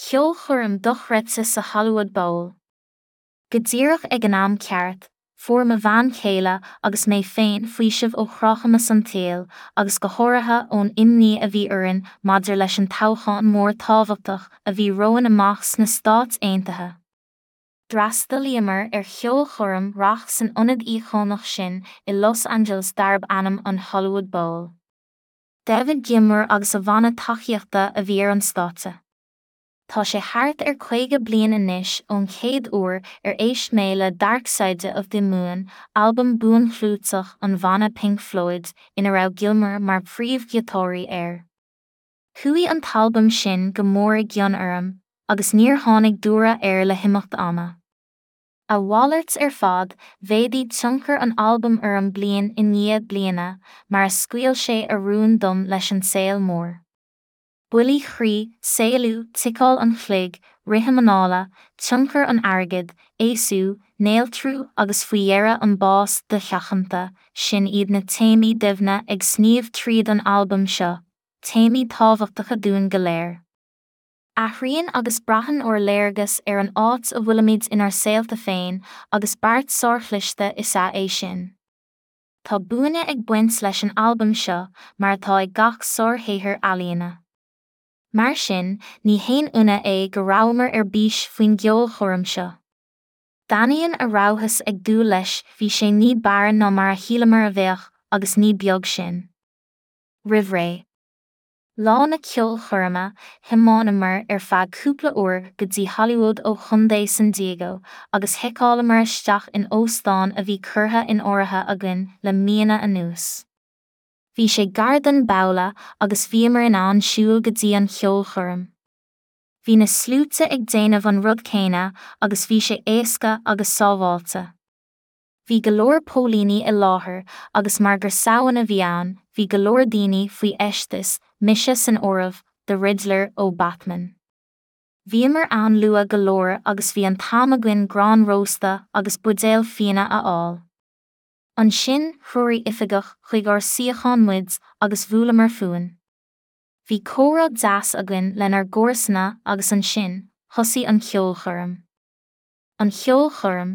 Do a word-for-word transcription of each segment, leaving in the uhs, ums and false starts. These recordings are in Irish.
Ceolchoirm dochreidte sa Hollywood Bowl. Go díreach ag an am ceart, fuair mo bhean chéile agus mé féin faoiseamh ó chruachamas an tsaoil agus go háirithe ón imní a bhí orainn maidir leis an toghchán mór tábhachtach a bhí romhainn amach sna Stáit Aontaithe. D'fhreastalaíomar ar cheolchoirm rac san ionad íocónach sin i Los Angeles darb ainm an Hollywood Bowl. David Gilmour agus a bhanna tacaíochta a bhí ar an stáitse. Tá sé thart ar caoga bliain anois ón chéad uair ar éist mé le Dark Side of the Moon, albam buanchlúiteach an bhanna Pink Floyd, ina raibh Gilmour mar phríomhghiotáraí air. Chuaigh an t-albam sin go mór i gcion orm, agus níor tháinig dúradh air le himeacht ama. A mhalairt ar fad, mhéadaigh tionchar an albaim orm bliain i ndiaidh bliana, mar a scaoil sé a rún dom leis an saol mór. Buillí croí, saolú, ticeáil an chloig, rithim anála, tionchar an airgid, aosú, néaltrú agus faoi dheireadh an bás dosheachanta, sin iad na téamaí doimhne ag sníomh tríd an albam seo, téamaí tábhachtacha dúinn go léir. Athraíonn agus braitheann ár léargas ar an áit a bhfuilimid inár saolta féin agus beart sárchliste is ea é sin. Tá buaine ag baint leis an albam seo mar atá ag gach sárshaothar ealaíne. Mar sin, ní haon ionadh é go rabhamar ar bís faoin gceolchoirm seo. D'ainneoin a rabhthas ag dúil leis bhí sé ní b'fhearr ná mar a shíleamar a bheadh agus ní beag sin. Roimh ré. Lá na ceolchoirme, thiomáineamar ar feadh cúpla uair go dtí Hollywood ó Chontae San Diego agus sheiceálamar isteach in óstán a bhí curtha in áirithe againn le míonna anuas. Bhí sé gar don bhabhla agus bhíomar in ann siúl go dtí an cheolchoirm. Bhí na sluaite ag déanamh an rud céanna agus bhí sé éasca agus sábháilte. Bhí go leor póilíní i láthair agus mar gur Samhain a bhí ann, bhí go leor daoine faoi fheisteas, mise san áireamh, The Riddler ó Batman. Bhíomar ann luath go leor agus bhí an t-am againn grán rósta agus buidéal fíona a fháil. Ansin threoraigh oifigeach chuig ár suíochán muid agus bhuaileamar fúinn. Bhí comhrá deas againn lenár gcomharsana agus ansin, thosaigh an cheolchoirm. An cheolchoirm.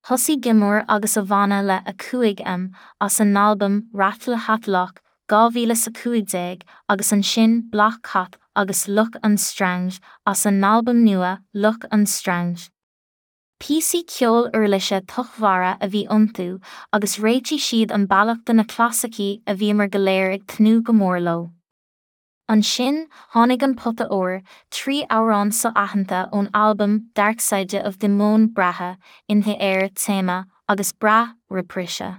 Thosaigh Gilmour agus a bhanna le a cúig M as a n-albam Rattle Hat Lock dhá mhíle is a cúig déag agus ansin Black Cat agus Look and Strange as a n-albam nua Look and Strange. Píosaí ceoil uirlise tochtmhara a bhí iontu agus réitigh siad an bealach do na clasaicí a bhíomar go léir ag tnúth go mór leo. Ansin, tháinig an pota óir, trí amhrán so-aitheanta ón albam Dark Side of the Moon Breithe, In the Air téama agus Breath reprise.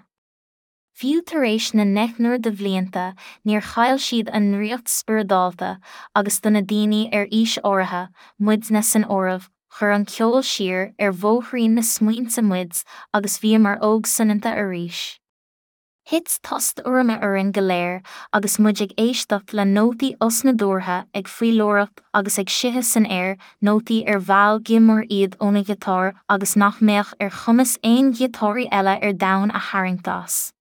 Fiú tar éis na ndeichniúr de bhlianta, níor chaill siad a ndraíocht spioradálta agus do na daoine ar aois áirithe, muidne san áireamh, chuir an ceol siar ar bhóithrín na smaointe muid agus bhíomar óg soineanta arís. Thit tost urraime orainn go léir agus muid ag éisteacht le nótaí osnádúrtha ag faoileoireacht agus ag sitheadh san aer, nótaí ar mheall Gilmour iad óna ghiotár agus nach mbeadh ar chumas aon ghiotáraí eile ar domhan a tharraingt as.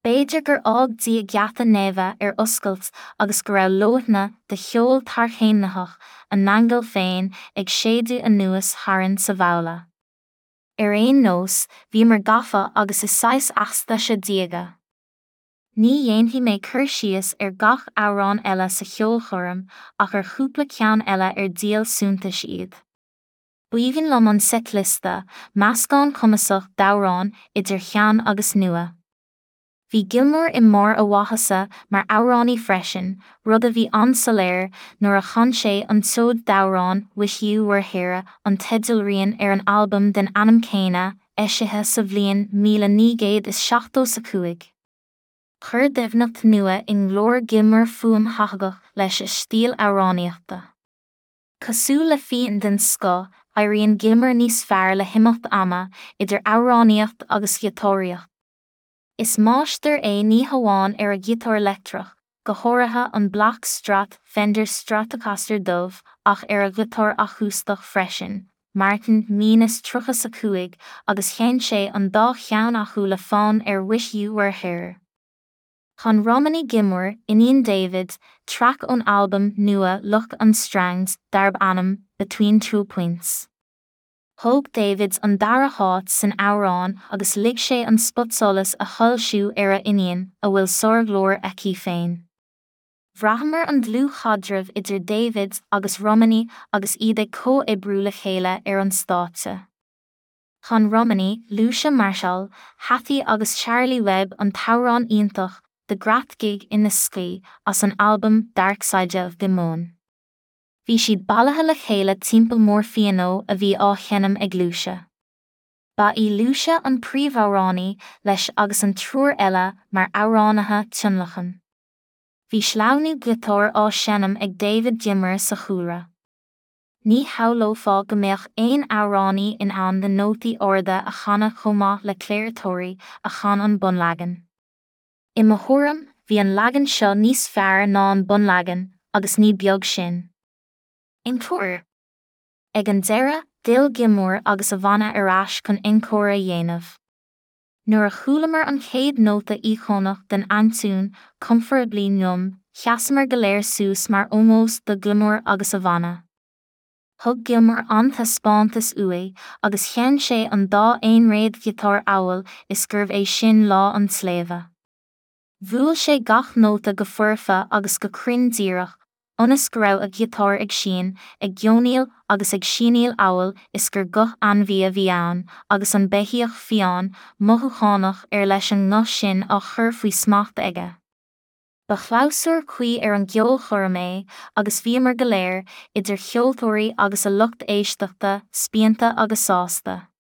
B'fhéidir gur fhág Dia geata neimhe ar oscailt agus go raibh leoithne de cheol tarchéimnitheach a n-aingeal féin ag séideadh anuas tharainn sa bhabhla. Ar aon nós, bhíomar gafa agus i saghas eachtaise diaga. Ní dhéanfaidh mé cur síos ar gach amhrán eile sa cheolchoirm ach ar chúpla ceann eile ar díol suntais iad. B'aoibhinn liom an seitliosta, meascán cumasach d'amhráin idir shean agus nua. Bhí Gilmour i mbarr a mhaitheasa mar amhránaí freisin, rud a bhí an-soiléir nuair a chan sé an tseoid d'amhrán Wish You Were Here an teidealrian ar an albam den ainm céanna, eisithe sa bhliain míle naoi gcéad is seachtó a cúig. Chuir doimhneacht nua i nglór Gilmour fuaim thathagach leis a stíl amhránaíochta. Cosúil le fíon den scoth, éiríonn Gilmour níos fearr le himeacht ama, idir amhránaíocht agus ghiotáraíocht. Is máistir é ní hamháin ar a ghiotár leictreach, go háirithe an Black Strat Fender Stratocaster dubh ach ar a ghiotár acústach freisin, Martin míle is tríocha a cúig agus sheinn sé an dá cheann acu le fonn ar Wish You Were Here. Chan Romany Gilmore, iníon David, traic ón albam nua Luck on Strangs darb ainm Between Two Points. Thóg David an dara háit san amhrán agus lig sé an spotsolas a shoilsiú ar a iníon, a bhfuil sárghlór aici féin. Bhraitheamar an dlúthchaidreamh idir David agus Romany agus iad ag comhoibriú le chéile ar an stáitse. Chan Romany, Lucia Marshall, Hattie agus Charlie Webb an t-amhrán iontach The Great Gig in the Sky as an albam Dark Side of the Moon. Bhí siad bailithe le chéile timpeall mórphianó a bhí á sheinm ag Lucia. Ba í Lucia an príomhamhránaí leis agus an triúr eile mar amhránaithe tionlacain. Bhí sleamhnú giotáir á seinm ag David Gilmour sa chúlra. Ní shamhlófá go mbeadh aon amhránaí in ann na nótaí arda a chanadh chomh maith le Clare Torry a chan an bunleagan. I mo thuairim, bhí an leagan seo níos fearr ná an bunleagan, agus ní beag sin. Encore. Ag an deireadh, d'fhill Gilmour agus a bhanna ar ais chun encore a dhéanamh. Nuair a chualamar an chéad nóta íocónach den aintiún Comfortably Numb, sheasamar go léir suas mar ómós do Gilmour agus a bhanna. Thug Gilmour an-taispeántas uaidh agus sheinn sé an dá aonréad giotár amhail is gurbh é sin lá an tsléibhe. Bhuail sé gach nóta go foirfe agus go cruinn díreach, ionas go raibh a ghiotár ag sín, ag geonaíl agus ag síníl amhail is gur guth ainmhí a bhí ann, agus an beithíoch fiáin, mothúchánach ar leis an nguth sin á chur faoi smacht aige. Ba chlabhsúr cuí ar an gceolchoirm é, agus bhíomar go léir, idir cheoltóirí agus a lucht éisteachta, spíonta agus sásta.